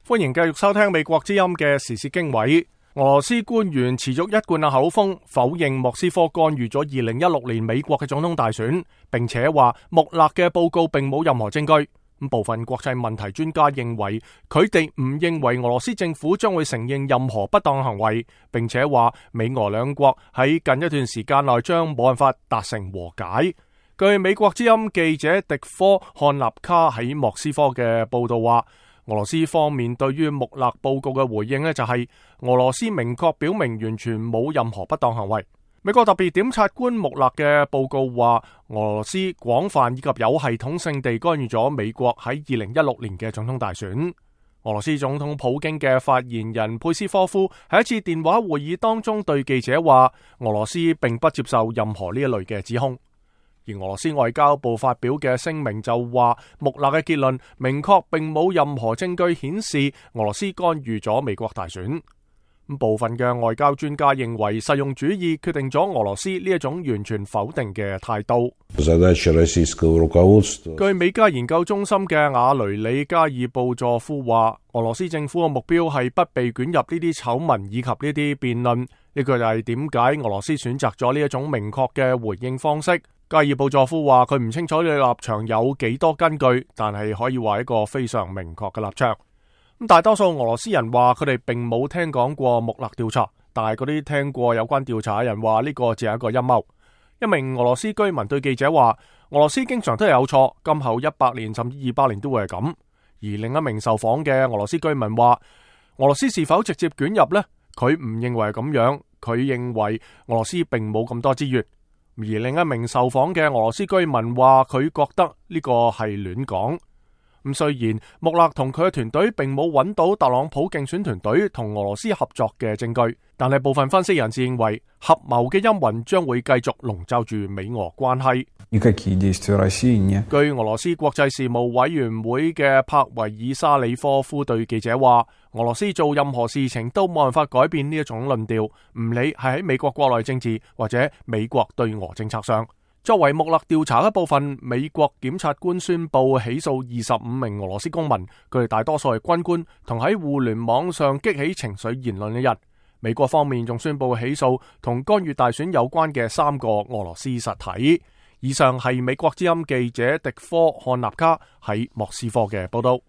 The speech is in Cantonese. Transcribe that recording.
歡迎繼續收聽美國之音嘅時事經緯。俄羅斯官員持續一貫嘅口風，否認莫斯科干預咗2016年美國嘅總統大選，並且話穆勒嘅報告並冇任何證據。部分國際問題專家認為，佢哋唔認為俄羅斯政府將會承認任何不當行為，並且話美俄兩國喺近一段時間內將冇辦法達成和解。據美國之音記者迪科漢納卡喺莫斯科嘅報道話，俄羅斯方面對於穆勒報告嘅回應呢，就係俄羅斯明確表明完全冇任何不當行為。美國特別檢察官穆勒嘅報告話，俄羅斯廣泛以及有系統性地干預咗美國喺2016年嘅總統大選。俄羅斯總統普京嘅發言人佩斯科夫喺一次電話會議當中對記者話，俄羅斯並不接受任何呢一類嘅指控。而俄羅斯外交部發表嘅聲明就話，穆勒嘅結論明確並冇任何證據顯示俄羅斯干預咗美國大選。部分嘅外交專家認為，實用主義決定咗俄羅斯呢一種完全否定嘅態度。據美加研究中心嘅瓦雷里加爾布佐夫話，俄羅斯政府嘅目標係不被捲入呢啲醜聞以及呢啲辯論。呢個就係點解俄羅斯選擇咗呢一種明確嘅回應方式。加爾布佐夫話，佢唔清楚你立場有幾多根據，但係可以話一個非常明確嘅立場。大多數俄羅斯人話佢哋並冇聽講過穆勒調查，但係嗰啲聽過有關調查嘅人話呢個只係一個陰謀。一名俄羅斯居民對記者話，俄羅斯經常都係有錯，今後100年甚至200年都會係咁。而另一名受訪嘅俄羅斯居民話，俄羅斯是否直接捲入呢？佢唔認為係咁樣，佢認為俄羅斯並冇咁多資源。而另一名受訪嘅俄羅斯居民話，佢覺得呢個係亂講。雖然穆勒同佢嘅團隊並冇揾到特朗普競選團隊同俄羅斯合作嘅證據，但係部分分析人士認為，合謀嘅陰雲將會繼續籠罩住美俄關係。據俄羅斯國際事務委員會嘅帕維爾沙里科夫對記者話，俄羅斯做任何事情都冇辦法改變呢一種論調，唔理係喺美國國內政治或者美國對俄政策上。作為穆勒調查一部分，美國檢察官宣布起訴25名俄羅斯公民，佢哋大多數係軍官同喺互聯網上激起情緒言論嘅人。美國方面仲宣布起訴同干預大選有關嘅3個俄羅斯實體。以上係美國之音記者迪科漢納卡喺莫斯科嘅報道。